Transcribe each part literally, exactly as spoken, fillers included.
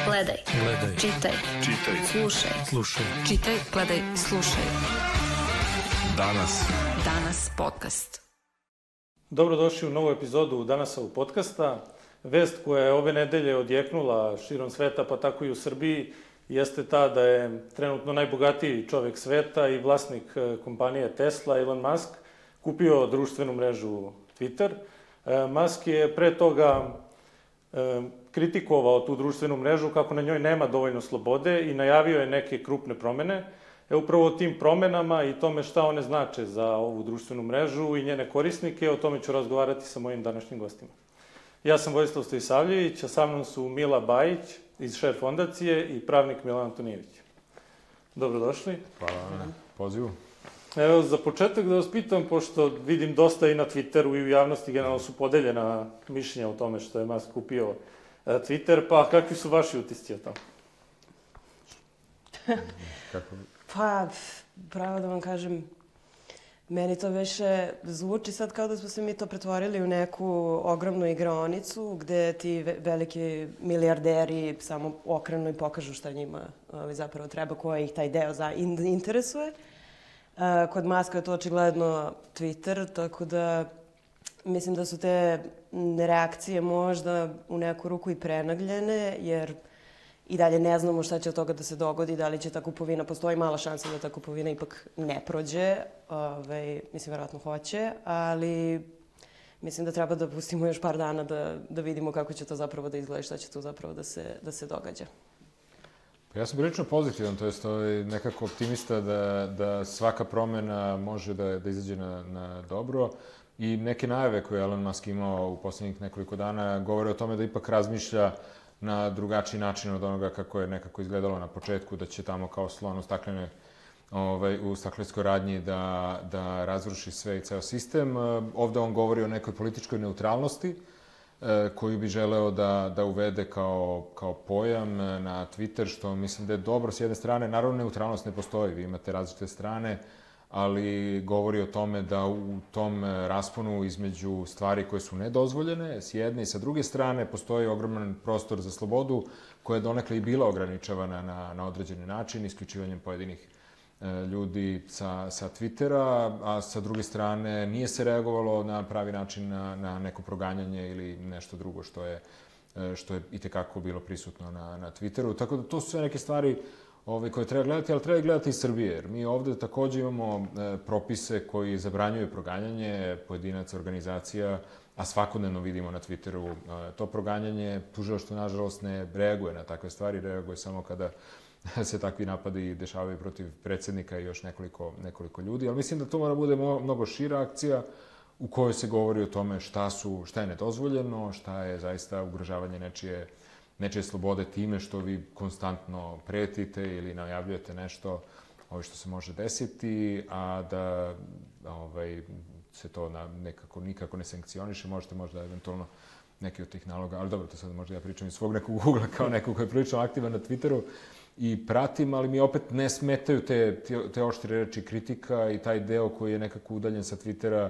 Gledaj. Gledaj. Čitaj. Čitaj. Slušaj. Slušaj. Čitaj, gledaj, slušaj. Danas. Danas podcast. Dobrodošli u novu epizodu Danasovog podcasta. Vest koja je ove nedelje odjeknula širom sveta, pa tako i u Srbiji, jeste ta da je trenutno najbogatiji čovek sveta i vlasnik kompanije Tesla, Elon Musk, kupio društvenu mrežu Twitter. Musk je pre toga kritikovao tu društvenu mrežu kako na njoj nema dovoljno slobode i najavio je neke krupne promene. E upravo o tim promenama i tome šta one znače za ovu društvenu mrežu i njene korisnike, o tome ću razgovarati sa mojim današnjim gostima. Ja sam Vojislav Stojisavljević, a sa mnom su Mila Bajić iz Share fondacije i pravnik Milan Antonijević. Dobrodošli. Hvala na pozivu. Evo, za početak da vas pitam, pošto vidim dosta i na Twitteru i u javnosti generalno su podeljena mišljenja o tome što je Musk kupio Twitter, pa kakvi su vaši utisci o tome? Kako? Pa, pravo da vam kažem, meni to više zvuči sad kao da smo se mi to pretvorili u neku ogromnu igraonicu gde ti veliki milijarderi samo okrenu i pokažu šta njima zapravo treba, koja ih taj deo za interesuje. Kod Muska je to očigledno Twitter, tako da mislim da su te reakcije možda u neku ruku i prenagljene, jer i dalje ne znamo šta će od toga da se dogodi, da li će ta kupovina, postoji mala šansa da ta kupovina ipak ne prođe, Ove, mislim, verovatno hoće, ali mislim da treba da pustimo još par dana da, da vidimo kako će to zapravo da izgleda i šta će tu zapravo da se, da se događa. Ja sam prilično pozitivan, to jest nekako optimista da, da svaka promena može da, da izađe na, na dobro i neke najave koje Elon Musk imao u poslednjih nekoliko dana govore o tome da ipak razmišlja na drugačiji način od onoga kako je nekako izgledalo na početku, da će tamo kao slon u staklene, ovaj, u staklenskoj radnji da, da razruši sve i ceo sistem. Ovde on govori o nekoj političkoj neutralnosti koju bi želeo da, da uvede kao, kao pojam na Twitter, što mislim da je dobro s jedne strane. Naravno, neutralnost ne postoji, vi imate različite strane, ali govori o tome da u tom rasponu između stvari koje su nedozvoljene s jedne i sa druge strane postoji ogroman prostor za slobodu koja je donekle i bila ograničavana na, na određeni način, isključivanjem pojedinih e, ljudi sa, sa Twittera, a sa druge strane nije se reagovalo na pravi način na, na neko proganjanje ili nešto drugo što je, e, što je itekako bilo prisutno na, na Twitteru. Tako da to su sve neke stvari Ove, koje treba gledati, ali treba gledati i Srbije, jer mi ovde takođe imamo e, propise koji zabranjuju proganjanje pojedinaca, organizacija, a svakodnevno vidimo na Twitteru e, to proganjanje. Tužilaštvo, nažalost, ne reaguje na takve stvari, reaguje samo kada se takvi napadi dešavaju protiv predsjednika i još nekoliko, nekoliko ljudi, ali mislim da to mora bude mnogo šira akcija u kojoj se govori o tome šta, su, šta je nedozvoljeno, šta je zaista ugrožavanje nečije nečije slobode time što vi konstantno pretite ili najavljujete nešto ovaj, što se može desiti, a da ovaj, se to na nekako, nikako ne sankcioniše. Možete možda eventualno neki od tih naloga, ali dobro, to sad možda ja pričam iz svog nekog ugla kao neko koji je prilično aktivan na Twitteru i pratim, ali mi opet ne smetaju te, te, te oštre reči kritika i taj deo koji je nekako udaljen sa Twittera.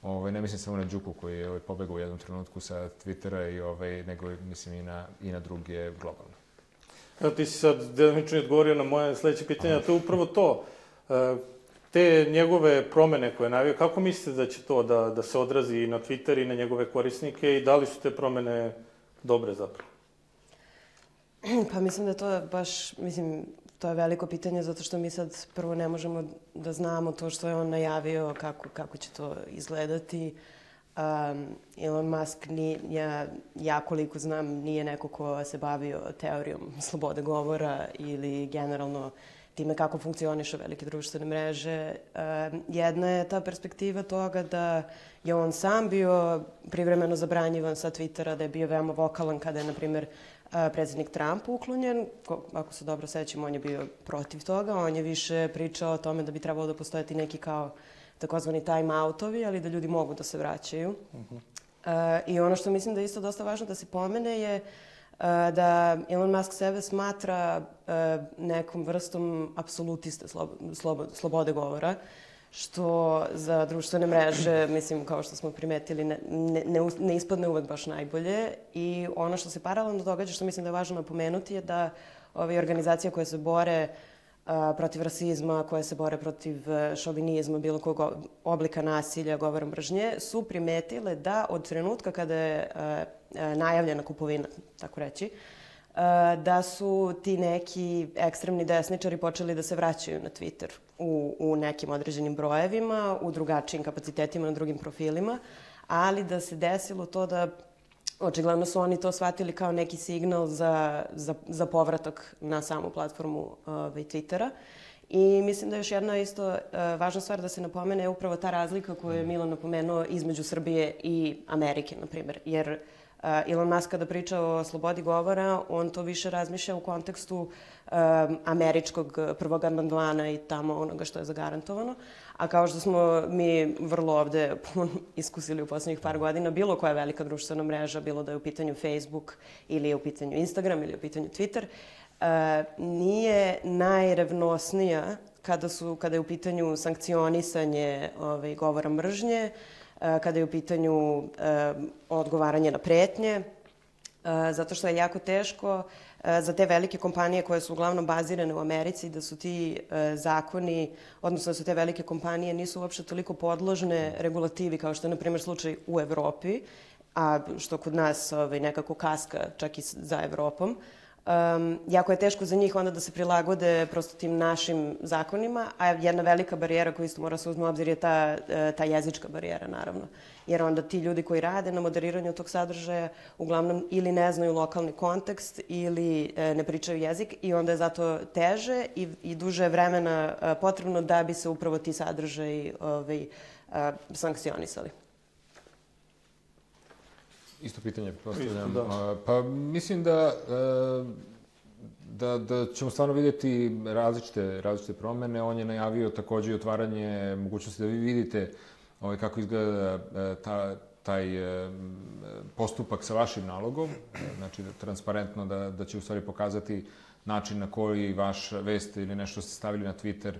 Ovaj, ne mislim samo na Đuku koji je ovaj, pobegao u jednom trenutku sa Twittera, i, ovaj, nego mislim i na, i na druge globalno. Evo, ti si sad delimično odgovorio na moje sledeće pitanje, a to je upravo to. Te njegove promene koje je najavio, kako mislite da će to da, da se odrazi i na Twitter i na njegove korisnike i da li su te promene dobre zapravo? Pa mislim da to je baš, mislim, to je veliko pitanje zato što mi sad prvo ne možemo da znamo to što je on najavio, kako, kako će to izgledati. Um, Elon Musk, ni, ja, ja koliko znam, nije neko ko se bavio teorijom slobode govora ili generalno time kako funkcionišu velike društvene mreže. Um, jedna je ta perspektiva toga da je on sam bio privremeno zabranjivan sa Twittera, da je bio veoma vokalan kada je, na primjer, predsjednik Trump uklonjen. Ako se dobro sećam, on je bio protiv toga. On je više pričao o tome da bi trebalo da postojati neki kao takozvani time-outovi, ali da ljudi mogu da se vraćaju. Uh-huh. uh, I ono što mislim da je isto dosta važno da se pomene je uh, da Elon Musk sebe smatra uh, nekom vrstom apsolutiste slob, slob, slobode govora. što za društvene mreže, mislim, kao što smo primetili, ne, ne, ne ispadne uvek baš najbolje. I ono što se paralelno događa, što mislim da je važno napomenuti, je da ove organizacije koje se bore a, protiv rasizma, koje se bore protiv šovinizma, bilo kog oblika nasilja, govora mržnje, su primetile da od trenutka kada je a, a, najavljena kupovina, tako reći, da su ti neki ekstremni desničari počeli da se vraćaju na Twitter u, u nekim određenim brojevima, u drugačijim kapacitetima, na drugim profilima, ali da se desilo to da očigledno su oni to shvatili kao neki signal za, za, za povratak na samu platformu ovaj, Twittera. I mislim da je još jedna isto uh, važna stvar da se napomene je upravo ta razlika koju je Milan napomenuo između Srbije i Amerike, na primjer. Jer Uh, Elon Musk kada priča o slobodi govora, on to više razmišlja u kontekstu um, američkog prvog amandmana i tamo onoga što je zagarantovano. A kao što smo mi vrlo ovde iskusili u poslednjih par godina, bilo koja velika društvena mreža, bilo da je u pitanju Facebook ili je u pitanju Instagram ili je u pitanju Twitter, uh, nije najrevnosnija kada, su, kada je u pitanju sankcionisanje ovaj, govora mržnje, kada je u pitanju e, odgovaranje na pretnje, e, zato što je jako teško e, za te velike kompanije koje su uglavnom bazirane u Americi, da su ti e, zakoni, odnosno da su te velike kompanije nisu uopšte toliko podložne regulativi kao što je, na primjer, slučaj u Evropi, a što kod nas ovaj, nekako kaska čak i za Evropom. Um, jako je teško za njih onda da se prilagode prosto tim našim zakonima, a jedna velika barijera koju isto mora se uzme u obzir je ta, ta jezička barijera, naravno. Jer onda ti ljudi koji rade na moderiranju tog sadržaja uglavnom ili ne znaju lokalni kontekst ili e, ne pričaju jezik i onda je zato teže i, i duže vremena e, potrebno da bi se upravo ti sadržaji ovaj, a, sankcionisali. Isto pitanje, postavljam. Isto, da. Pa mislim da, da, da ćemo stvarno vidjeti različite, različite promene. On je najavio takođe i otvaranje mogućnosti da vi vidite ovaj, kako izgleda ta, taj postupak sa vašim nalogom. Znači, transparentno da, da će u stvari pokazati način na koji vaš vest ili nešto ste stavili na Twitter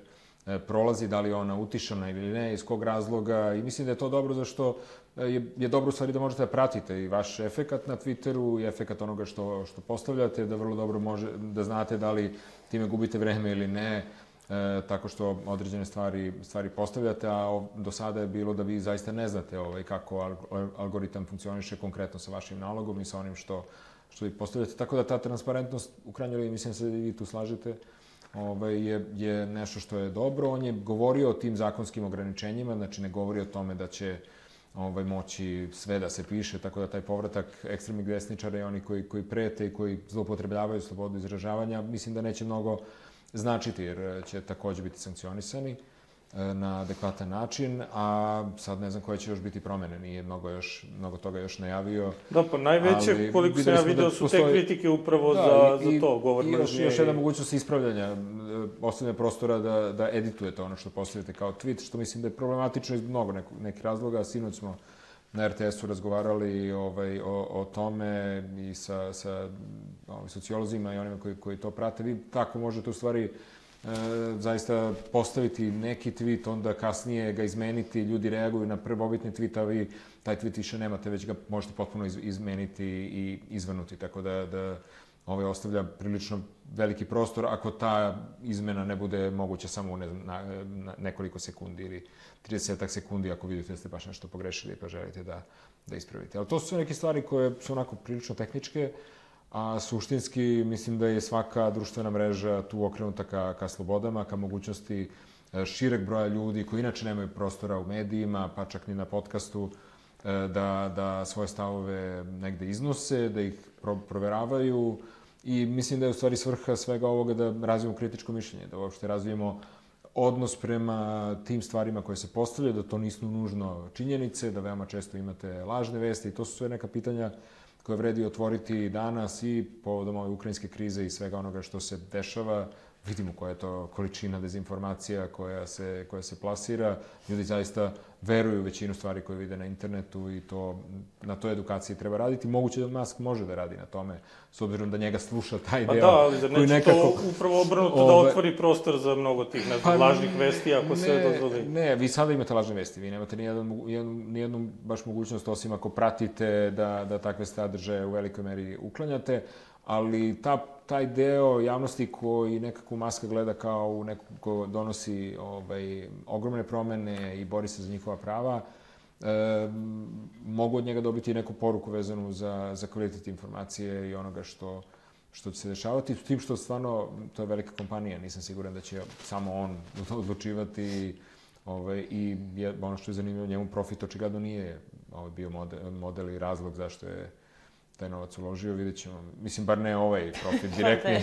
prolazi, da li je ona utišana ili ne, iz kog razloga. I mislim da je to dobro zašto je, je dobro u stvari da možete da pratite i vaš efekat na Twitteru i efekat onoga što, što postavljate, da vrlo dobro može, da znate da li time gubite vreme ili ne, e, tako što određene stvari, stvari postavljate, a do sada je bilo da vi zaista ne znate ovaj, kako algoritam funkcioniše konkretno sa vašim nalogom i sa onim što, što vi postavljate. Tako da ta transparentnost, u krajnjoj liniji, mislim se da vi tu slažete, Ovaj, je, je nešto što je dobro. On je govorio o tim zakonskim ograničenjima, znači ne govori o tome da će ovaj, moći sve da se piše, tako da taj povratak ekstremnih desničara i oni koji, koji prete i koji zloupotrebljavaju slobodu izražavanja, mislim da neće mnogo značiti, jer će takođe biti sankcionisani na adekvatan način, a sad ne znam koje će još biti promene, nije mnogo, još, mnogo toga još najavio. Da, pa najveće, koliko sam ja vidio, da su postoji... te kritike upravo da, za, i, za to, govor mržnje. I još, još jedna mogućnost ispravljanja, ostavljanja prostora da, da editujete ono što postavite kao tweet, što mislim da je problematično iz mnogo neko, nekih razloga. Sinoć smo na er te esu razgovarali ovaj, o, o tome i sa, sa ovaj, sociolozima i onima koji, koji to prate. Vi tako možete u stvari E, zaista postaviti neki tweet, onda kasnije ga izmeniti, ljudi reaguju na prvobitni tweet, a vi taj tweet više nemate, već ga možete potpuno iz, izmeniti i izvrnuti, tako da, da ovaj ostavlja prilično veliki prostor ako ta izmena ne bude moguća samo ne znam, na, na nekoliko sekundi ili tridesetak sekundi ako vidite da ste baš nešto pogrešili pa želite da, da ispravite. Ali to su neke stvari koje su onako prilično tehničke, a suštinski mislim da je svaka društvena mreža tu okrenuta ka, ka slobodama, ka mogućnosti šireg broja ljudi koji inače nemaju prostora u medijima, pa čak ni na podcastu, da, da svoje stavove negde iznose, da ih pro, proveravaju i mislim da je u stvari svrha svega ovoga da razvijemo kritičko mišljenje, da uopšte razvijemo odnos prema tim stvarima koje se postavljaju, da to nisu nužno činjenice, da veoma često imate lažne vesti i to su sve neka pitanja koje vredi otvoriti danas i povodom ove ukrajinske krize i svega onoga što se dešava, vidimo koja je to količina dezinformacija koja se, koja se plasira. Ljudi zaista veruju u većinu stvari koje vide na internetu i to, na toj edukaciji treba raditi. Moguće da Musk može da radi na tome, s obzirom da njega sluša taj Pa deo. da, ali zar neće nekako, to upravo obrnuto da ove, otvori prostor za mnogo tih, ne znam, pa, lažnih vesti ako ne, se dozvoli? Ne, vi sada imate lažne vesti, vi nemate nijednu, nijednu, nijednu baš mogućnost, osim ako pratite da, da takve sadržaje u velikoj meri uklanjate, ali ta, taj deo javnosti koji nekako Muska gleda kao u nekog ko donosi ovaj, ogromne promene i bori se za njihova prava, e, mogu od njega dobiti neku poruku vezanu za, za kvalitet informacije i onoga što, što će se dešavati. S tim što stvarno, to je velika kompanija, nisam siguran da će samo on odlučivati ovaj, i je, ono što je zanimljivo, njemu profit očigledno nije ovaj, bio model, model i razlog zašto je taj novac uložio, vidjet ćemo. Mislim, bar ne ovaj profit direktni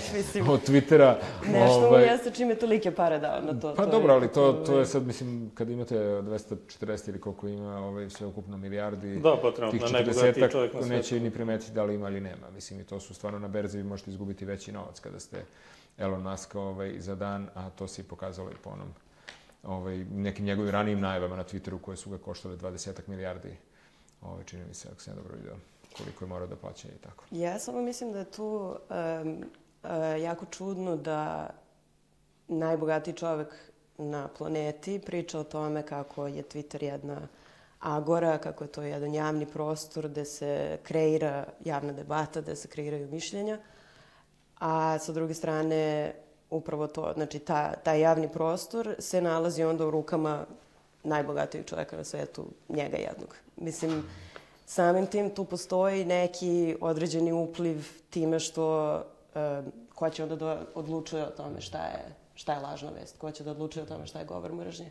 od Twittera. Nešto mu jeste čime tolike pare dao na to. Pa dobro, ali to, to je sad, mislim, kad imate dvesta četrdeset ili koliko ima ovaj, sve ukupno milijardi, da, pa trenutno, tih četrdesetak neće ni primetiti da li ima ili nema. Mislim, i to su stvarno na berzi, vi možete izgubiti veći novac kada ste Elon Musk ovaj, za dan, a to se i pokazalo i po onom ovaj, nekim njegovim ranijim najavama na Twitteru koje su ga koštale dvadesetak milijardi. Ovaj, čini mi se, ako sam ja dobro vidio, koliko je morao da plaća i tako. Ja samo mislim da je tu um, uh, jako čudno da najbogatiji čovek na planeti priča o tome kako je Twitter jedna agora, kako je to jedan javni prostor gde se kreira javna debata, gde se kreiraju mišljenja, a sa druge strane upravo to, znači ta, taj javni prostor se nalazi onda u rukama najbogatijeg čoveka na svetu, njega jednog. Mislim, samim tim tu postoji neki određeni upliv time što uh, ko će onda da odlučuje o tome šta je, šta je lažna vest, ko će da odlučuje o tome šta je govor mržnje.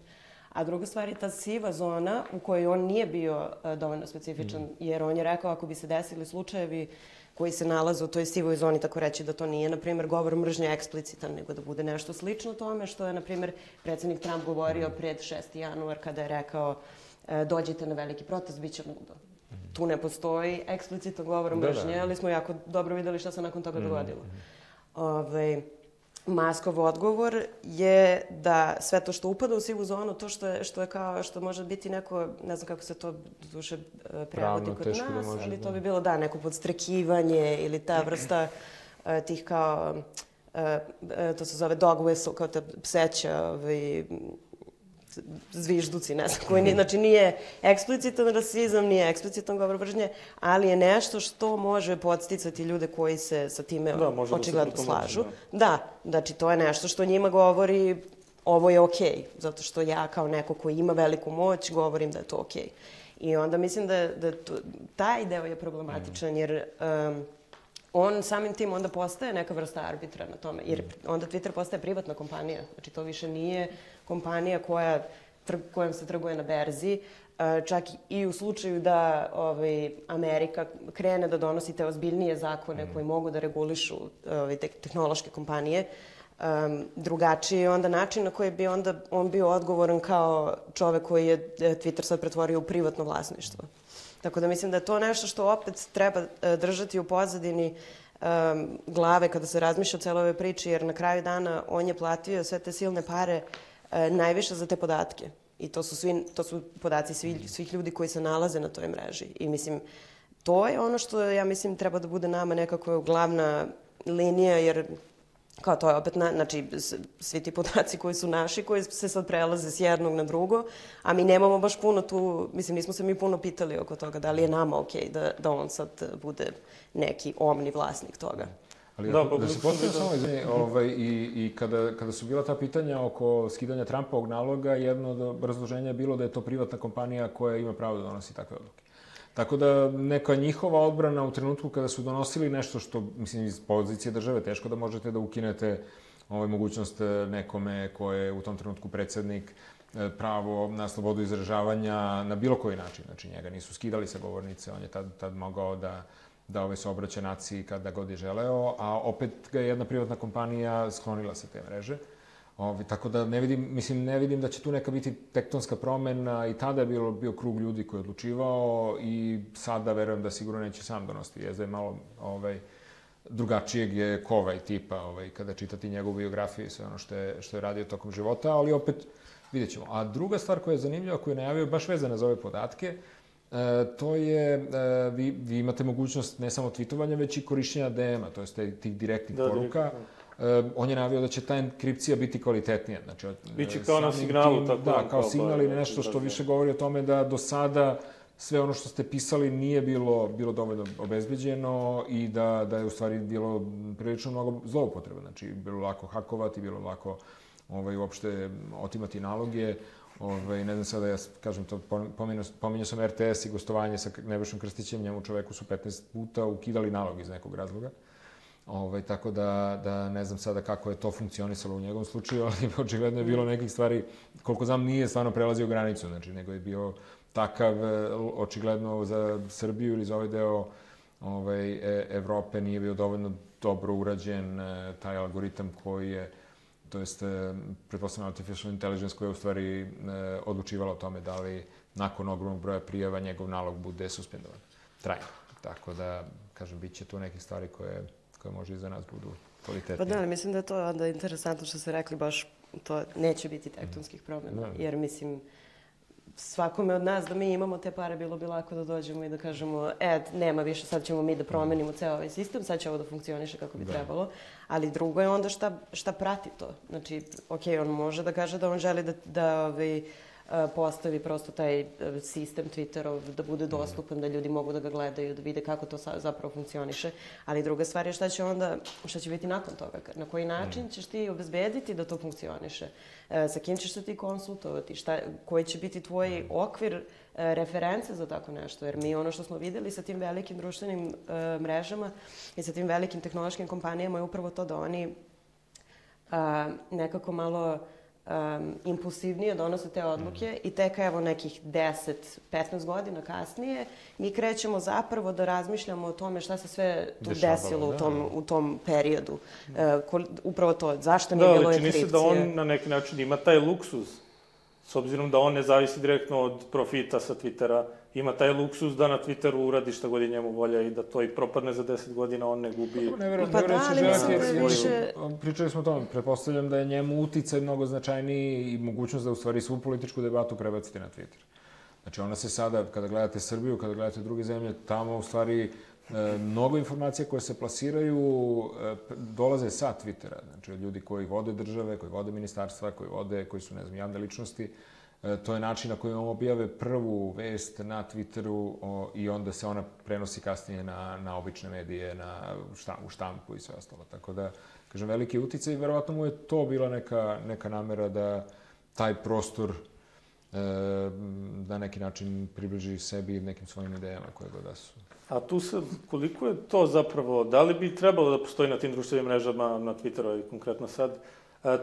A druga stvar je ta siva zona u kojoj on nije bio uh, dovoljno specifičan, mm. jer on je rekao ako bi se desili slučajevi koji se nalaze u toj sivoj zoni, tako reći da to nije, na primjer, govor mržnje eksplicitan, nego da bude nešto slično tome što je, na primjer, predsjednik Trump govorio pred šesti januar kada je rekao uh, dođite na veliki protest, bit će ludo. Tu ne postoji eksplicitan govor mržnje, ali smo jako dobro videli šta se nakon toga dogodilo. Ove, Muskov odgovor je da sve to što upada u sivu zonu, to što je, što je kao, što može biti neko, ne znam kako se to duše prevodi kod nas, da može, ali to bi bilo, da, neko podstrekivanje ili ta vrsta uh, tih kao, uh, uh, to se zove dog whistle, kao ta pseća, ovaj, zvižduci, ne znam, koji nije, znači nije eksplicitan rasizam, nije eksplicitan govor mržnje, ali je nešto što može podsticati ljude koji se sa time da, očigledno da slažu. Da. da, znači to je nešto što njima govori ovo je okej, okay, zato što ja kao neko koji ima veliku moć govorim da je to okej. Okay. I onda mislim da, da to, taj deo je problematičan, jer um, on samim tim onda postaje neka vrsta arbitra na tome, jer onda Twitter postaje privatna kompanija. Znači to više nije kompanija koja, tr, kojom se trguje na berzi, čak i u slučaju da ovaj, Amerika krene da donosi te ozbiljnije zakone koji mogu da regulišu ovaj, te, tehnološke kompanije, um, drugačiji je onda način na koji bi onda on bio odgovoran kao čovek koji je Twitter sad pretvorio u privatno vlasništvo. Tako da mislim da je to nešto što opet treba držati u pozadini um, glave kada se razmišlja o celoj ovoj priči, jer na kraju dana on je platio sve te silne pare uh, najviše za te podatke. I to su, svi, to su podaci svih, svih ljudi koji se nalaze na toj mreži. I mislim, to je ono što ja mislim treba da bude nama nekako glavna linija, jer kao to je opet, na, znači, svi ti podaci koji su naši, koji se sad prelaze s jednog na drugo, a mi nemamo baš puno tu, mislim, nismo se mi puno pitali oko toga da li je nama okej da, da on sad bude neki omni vlasnik toga. Ali da, da se postavim samo izvini, ovaj, i, i kada, kada su bila ta pitanja oko skidanja Trumpovog naloga, jedno od razloženja je bilo da je to privatna kompanija koja ima pravo da donosi takve odluke. Tako da neka njihova odbrana u trenutku kada su donosili nešto što, mislim, iz pozicije države teško da možete da ukinete ovaj, mogućnost nekome ko je u tom trenutku predsjednik, pravo na slobodu izražavanja na bilo koji način. Znači, njega nisu skidali sa govornice, on je tad, tad mogao da, da ovaj, se obraća naciji kada god je želeo, a opet ga je jedna privatna kompanija sklonila sa te mreže. Ovi, tako da ne vidim, mislim, ne vidim da će tu neka biti tektonska promena i tada je bilo, bio krug ljudi koji je odlučivao i sada verujem da sigurno neće sam donositi. Jezda je malo ovaj, drugačijeg je Kovaj tipa, ovaj, kada čitati njegovu biografiju i sve ono što je, što je radio tokom života, ali opet vidjet ćemo. A druga stvar koja je zanimljiva, koju je najavio, baš vezana za ove podatke, E, to je, e, vi, vi imate mogućnost ne samo tweetovanja, već i korišćenja D M-a, to je tih direktnih da, poruka. E, on je najavio da će ta enkripcija biti kvalitetnija. Znači, biće kao na signalu, tim, tako da, kao, kao signal ili ba, nešto što da, više govori o tome da do sada sve ono što ste pisali nije bilo, bilo dovoljno obezbeđeno i da, da je u stvari bilo prilično mnogo zloupotreba. Znači, bilo lako hakovati, bilo lako ovaj, uopšte otimati naloge. Ove, ne znam sada, ja kažem to, pominjao, pominjao sam R T S i gostovanje sa Nebojšom Krstićem, njemu čoveku su petnaest puta ukidali nalog iz nekog razloga. Ove, tako da, da ne znam sada kako je to funkcionisalo u njegovom slučaju, ali očigledno je bilo nekih stvari, koliko znam, nije stvarno prelazio granicu, znači, nego je bio takav, očigledno za Srbiju ili za ovaj deo ovaj, Evrope nije bio dovoljno dobro urađen taj algoritam koji je, to jest, pretpostavljeno artificial intelligence koja je u stvari e, odlučivala o tome da li nakon ogromnog broja prijava njegov nalog bude suspendovan trajno. Tako da, kažem, bit će tu nekih stvari koje, koje može i za nas budu kvalitetnije. Pa da, ali mislim da je to onda interesantno što ste rekli, baš to neće biti tektonskih promjena, mm. jer mislim, svakome od nas da mi imamo te pare, bilo bi lako da dođemo i da kažemo, e, nema više, sad ćemo mi da promenimo ceo ovaj sistem, sad će ovo da funkcioniše kako bi da. trebalo. Ali drugo je onda šta, šta prati to. Znači, ok, on može da kaže da on želi da, da ovaj, postavi prosto taj sistem Twitterov, da bude dostupan, da ljudi mogu da ga gledaju, da vide kako to zapravo funkcioniše. Ali druga stvar je šta će onda, šta će biti nakon toga. Na koji način ćeš ti obezbediti da to funkcioniše? Sa kim ćeš se ti konsultovati? Šta, koji će biti tvoj okvir reference za tako nešto? Jer mi ono što smo videli sa tim velikim društvenim uh, mrežama i sa tim velikim tehnološkim kompanijama je upravo to da oni uh, nekako malo Um, impulsivnije donose te odluke mm. i tek evo nekih deset petnaest godina kasnije mi krećemo zapravo da razmišljamo o tome šta se sve tu Dešavalo, desilo da, u, tom, u tom periodu. Uh, ko, upravo to, zašto nije da, bilo enkripcije. Da, ali čini se da on na neki način ima taj luksuz, s obzirom da on ne zavisi direktno od profita sa Twittera, ima taj luksuz da na Twitteru uradi šta god je njemu volja i da to i propadne za deset godina, on ne gubi... Ne verujem, pa da, ali mislim da je više... Pričali smo o tome, pretpostavljam da je njemu uticaj mnogo značajniji i mogućnost da u stvari svu političku debatu prebacite na Twitter. Znači ona se sada, kada gledate Srbiju, kada gledate druge zemlje, tamo u stvari e, mnogo informacija koje se plasiraju e, dolaze sa Twittera. Znači od ljudi koji vode države, koji vode ministarstva, koji vode, koji su, ne znam, javne ličnosti. To je način na koji on objave prvu vest na Twitteru o, i onda se ona prenosi kasnije na, na obične medije, na štam, u štampu i sve ostalo. Tako da, kažem, veliki uticaj i verovatno mu je to bila neka, neka namera da taj prostor e, na neki način približi sebi nekim svojim idejama koje god da su. A tu sad, koliko je to zapravo, da li bi trebalo da postoji na tim društvenim mrežama, na Twitteru i konkretno sad,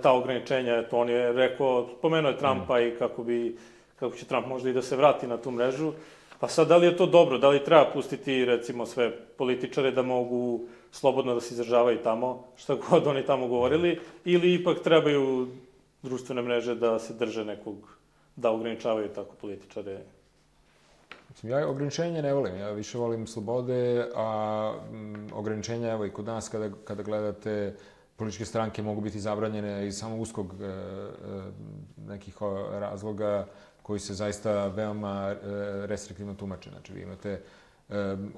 ta ograničenja, eto, on je rekao, spomenuo je Trumpa mm. i kako bi, kako će Trump možda i da se vrati na tu mrežu. Pa sad, da li je to dobro? Da li treba pustiti, recimo, sve političare da mogu slobodno da se izražavaju tamo, šta god oni tamo govorili, ili ipak trebaju društvene mreže da se drže nekog, da ograničavaju tako političare? Ja ograničenja ne volim, ja više volim slobode, a m, ograničenja, evo i kod nas kada, kada gledate, političke stranke mogu biti zabranjene iz samo uskog e, nekih razloga koji se zaista veoma e, restriktivno tumače. Znači, vi imate e,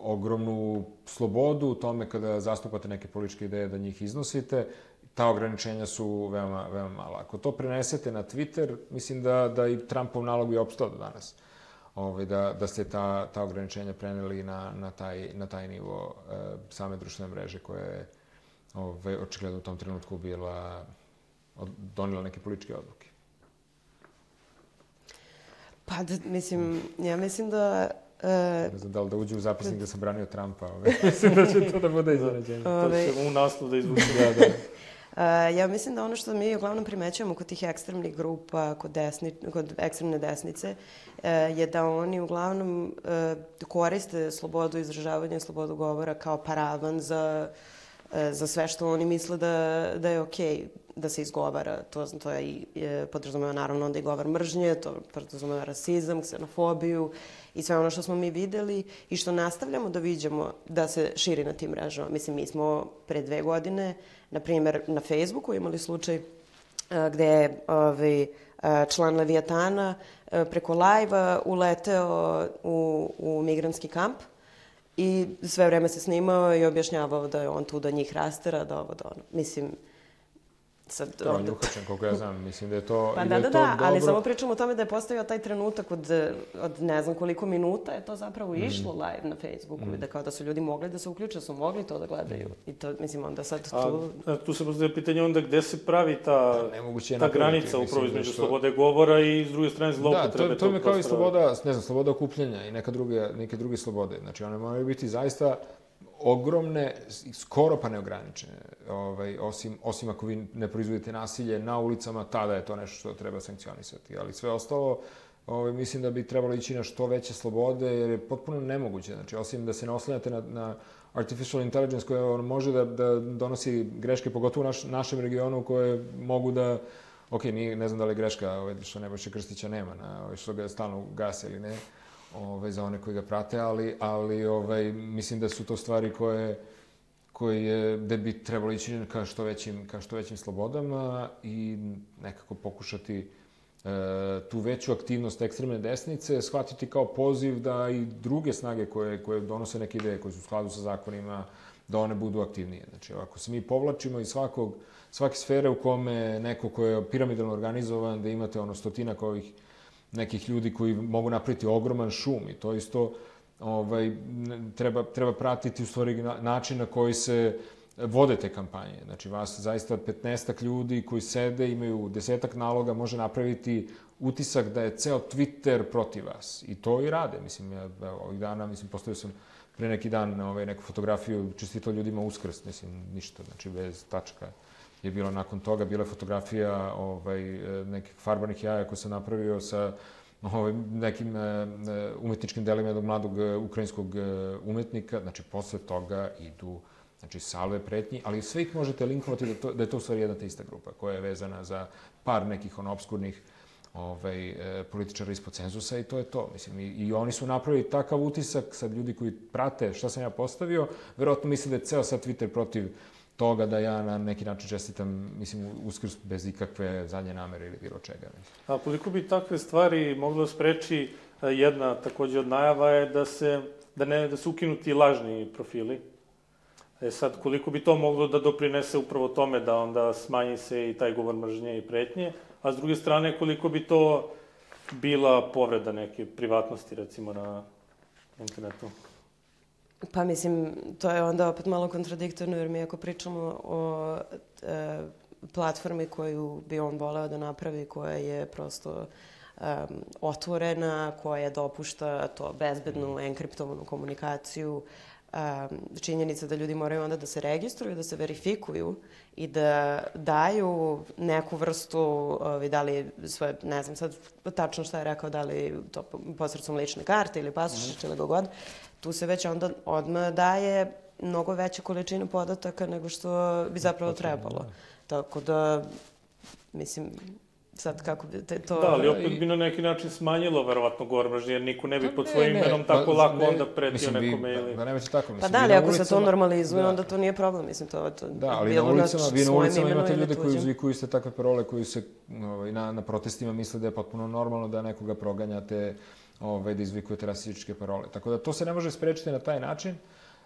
ogromnu slobodu u tome kada zastupate neke političke ideje da njih iznosite. Ta ograničenja su veoma, veoma mala. Ako to prenesete na Twitter, mislim da, da i Trumpov nalog bi opstao do danas. Ove, da, da ste ta, ta ograničenja preneli na, na, taj, na taj nivo e, same društvene mreže koje je Ove, očigledno u tom trenutku bila, donijela neke političke odluke. Pa, da, mislim, ja mislim da... Uh, ne znam da li da uđe u zapisnik da sam branio Trumpa. Ove. Mislim da će to da bude iznenađenje. To će u naslov da izvuče. Da, da. Uh, ja mislim da ono što mi uglavnom primećujemo kod tih ekstremnih grupa, kod, desni, kod ekstremne desnice, uh, je da oni uglavnom uh, koriste slobodu izražavanja i slobodu govora kao paravan za za sve što oni misle da, da je okej da se izgovara. To, to je i je, podrazumeva naravno onda i govor mržnje, to podrazumeva rasizam, ksenofobiju i sve ono što smo mi videli i što nastavljamo da viđamo da se širi na tim mrežama. Mislim, mi smo pre dve godine, na primjer, na Facebooku imali slučaj a, gde je ovaj, a, član Leviatana a, preko live-a uleteo u, u migrantski kamp i sve vreme se snimao i objašnjavao da je on tu da njih rastera, da ovo, da ono. Mislim, sad... To on je uhačen, koliko ja znam. Mislim da je to... Pa da, da, da, ali samo pričamo o tome da je postavio taj trenutak od, od ne znam koliko minuta je to zapravo išlo mm. live na Facebooku mm. i da kao da su ljudi mogli da se uključe, su mogli to da gledaju. Mm. I to, mislim, onda sad tu... A, tu se postavlja pitanje onda gde se pravi ta, ta granica upravo između što... slobode govora i s druge strane zloupotrebe. Da, to, to je kao i sloboda, ne znam, sloboda okupljanja i neka druge, neke druge slobode. Znači, one moraju biti zaista ogromne, skoro pa neograničene, ovaj, osim, osim ako vi ne proizvodite nasilje na ulicama, tada je to nešto što treba sankcionisati. Ali sve ostalo, ovaj, mislim da bi trebalo ići na što veće slobode, jer je potpuno nemoguće. Znači, osim da se ne oslanjate na, na artificial intelligence koja on može da, da donosi greške, pogotovo u naš, našem regionu, koje mogu da... Ok, nije, ne znam da li je greška ovaj, što Nebojše Krstića nema, na, ovaj, što ga stalno gase ili ne, Ove, za one koji ga prate, ali, ali ovaj, mislim da su to stvari koje, koje da bi trebalo ići ka što većim, ka što većim slobodama i nekako pokušati e, tu veću aktivnost ekstremne desnice shvatiti kao poziv da i druge snage koje, koje donose neke ideje, koje su u skladu sa zakonima, da one budu aktivnije. Znači, ako se mi povlačimo iz svakog, svake sfere u kome neko ko je piramidalno organizovan, da imate ono stotinak ovih nekih ljudi koji mogu napraviti ogroman šum i to isto ovaj, treba, treba pratiti u stvari način na koji se vode te kampanje. Znači, vas zaista petnaestak ljudi koji sede, imaju desetak naloga, može napraviti utisak da je ceo Twitter protiv vas. I to i rade. Mislim, ja ovih dana, mislim, postavio sam pre neki dan ovaj, neku fotografiju, čestitao ljudima Uskrs, mislim, ništa, znači bez tačka. Je bilo nakon toga, bila je fotografija ovaj, nekih farbanih jaja koje sam napravio sa ovaj, nekim umetničkim delima jednog mladog ukrajinskog umetnika. Znači, posle toga idu znači, salve pretnji, ali sve ih možete linkovati da, to, da je to u stvari jedna te ista grupa koja je vezana za par nekih ono, obskurnih ovaj, političara ispod cenzusa i to je to. Mislim, i, i oni su napravili takav utisak, sad ljudi koji prate šta sam ja postavio, verovatno misle da je ceo sad Twitter protiv toga da ja na neki način čestitam, mislim, Uskrs bez ikakve zadnje namere ili bilo čega. A koliko bi takve stvari moglo spreči, jedna takođe od najava je da se, da ne, da se ukinu ti lažni profili. E sad, koliko bi to moglo da doprinese upravo tome da onda smanji se i taj govor mržnje i pretnje, a s druge strane, koliko bi to bila povreda neke privatnosti, recimo, na internetu? Pa mislim, to je onda opet malo kontradiktorno, jer mi ako pričamo o e, platformi koju bi on voleo da napravi, koja je prosto um, otvorena, koja dopušta to bezbednu, enkriptovanu komunikaciju, um, činjenica da ljudi moraju onda da se registruju, da se verifikuju i da daju neku vrstu, ovi, da li svoje, ne znam sad tačno šta je rekao, da li to posredstvom lične karte ili pasoša ili god, tu se već onda odmah daje mnogo veća količina podataka nego što bi zapravo trebalo. Tako da, mislim, sad kako bi te to... Da, ali opet bi na neki način smanjilo verovatno govor mržnje, jer niko ne bi pod svojim imenom tako lako onda pretio nekome ili... Da, nemojte tako, mislim. Pa da, ali ako se to normalizuje, onda to nije problem, mislim, to... Da, ali na ulicama, vi na ulicama imate ljude koji uzvikuju iste takve parole, koji se na, na protestima misle da je potpuno normalno da nekoga proganjate, ovaj, da izvikujete rasističke parole. Tako da to se ne može sprečiti na taj način.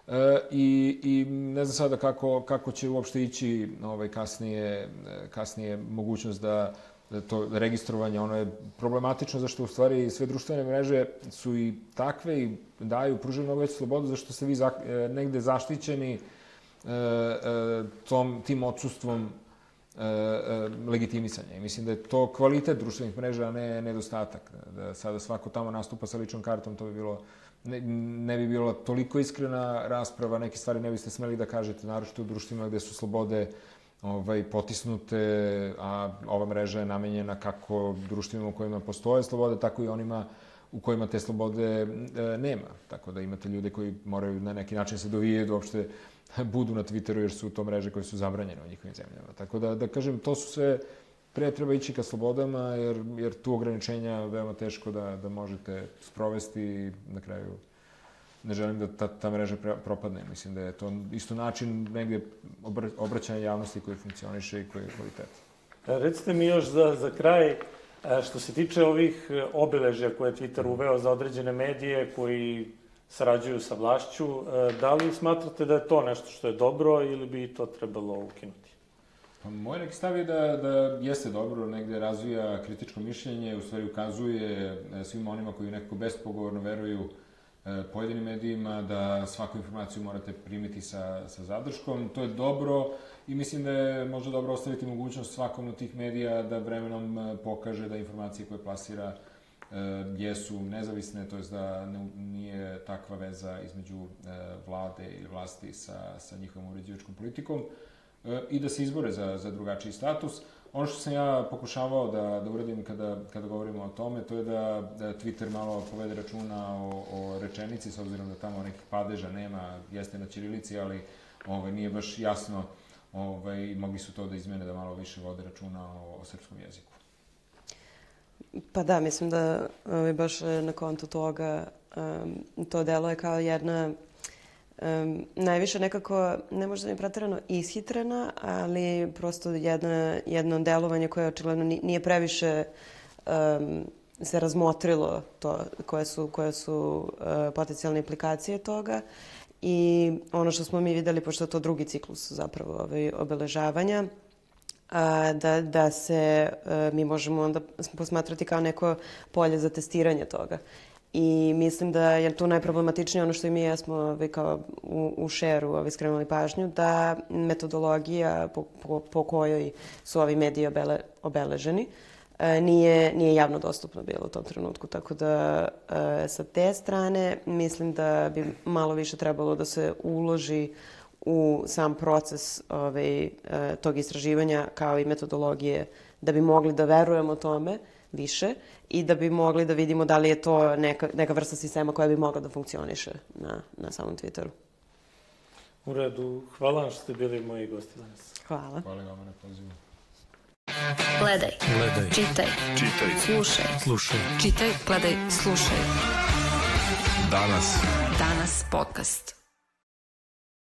E, i, i ne znam sada kako, kako će uopšte ići ovaj, kasnije, kasnije mogućnost da, da to registrovanje, ono je problematično zašto u stvari sve društvene mreže su i takve i daju, pružaju mnogo veću slobodu zašto ste vi za, negde zaštićeni e, e, tom, tim odsustvom E, e, legitimisanja. I mislim da je to kvalitet društvenih mreža, a ne nedostatak. Da sada svako tamo nastupa sa ličnom kartom, to bi bilo, ne, ne bi bilo toliko iskrena rasprava, neke stvari ne biste smeli da kažete, naročito u društvima gde su slobode ovaj, potisnute, a ova mreža je namenjena kako društvima u kojima postoje slobode, tako i onima u kojima te slobode e, nema. Tako da imate ljude koji moraju na neki način se dovijaju da uopšte budu na Twitteru jer su to mreže koje su zabranjene u njihovim zemljama. Tako da, da kažem, to su sve, pre treba ići ka slobodama jer, jer tu ograničenja veoma teško da, da možete sprovesti i na kraju ne želim da ta, ta mreža propadne. Mislim da je to isto način negdje obraćanja javnosti koji funkcioniše i koji je kvalitet. Recite mi još za, za kraj, što se tiče ovih obeležja koje je Twitter uveo za određene medije koji sarađuju sa vlašću, da li smatrate da je to nešto što je dobro ili bi to trebalo ukinuti? Pa, moj neki stav je da, da jeste dobro, negde razvija kritičko mišljenje, u stvari ukazuje svima onima koji nekako bespogovorno veruju pojedinim medijima da svaku informaciju morate primiti sa, sa zadrškom. To je dobro i mislim da je možda dobro ostaviti mogućnost svakom od tih medija da vremenom pokaže da informacije koje plasira e, jesu nezavisne, to je da ne, nije takva veza između e, vlade ili vlasti sa, sa njihovom uređivačkom politikom e, i da se izbore za, za drugačiji status. Ono što sam ja pokušavao da, da uradim kada, kada govorimo o tome, to je da, da Twitter malo povede računa o, o rečenici, s obzirom da tamo nekih padeža nema, jeste na ćirilici, ali ovaj, nije baš jasno, ovaj, mogli su to da izmene da malo više vode računa o, o srpskom jeziku. Pa da, mislim da ovaj, baš na kontu toga um, to deluje kao jedna Um, najviše nekako, ne možda mi pretjerano ishitrena, ali prosto jedna, jedno delovanje koje očigledno nije previše um, se razmotrilo to, koje su, koje su uh, potencijalne implikacije toga. I ono što smo mi videli, pošto je to drugi ciklus zapravo ovaj, obeležavanja, a, da, da se a, mi možemo onda posmatrati kao neko polje za testiranje toga. I mislim da je tu najproblematičnije ono što i mi jesmo kao u, u šeru ovaj, skrenuli pažnju, da metodologija po, po, po kojoj su ovi mediji obele, obeleženi nije, nije javno dostupno bilo u tom trenutku. Tako da sa te strane mislim da bi malo više trebalo da se uloži u sam proces ovaj, tog istraživanja kao i metodologije da bi mogli da verujemo tome više i da bi mogli da vidimo da li je to neka, neka vrsta sistema koja bi mogla da funkcioniše na, na samom Twitteru. U redu. Hvala vam što ste bili moji gosti danas. Hvala. Hvala vam na pozivu. Gledaj. Gledaj. Čitaj. Čitaj. Slušaj. Slušaj. Čitaj, gledaj, slušaj. Danas. Danas podcast.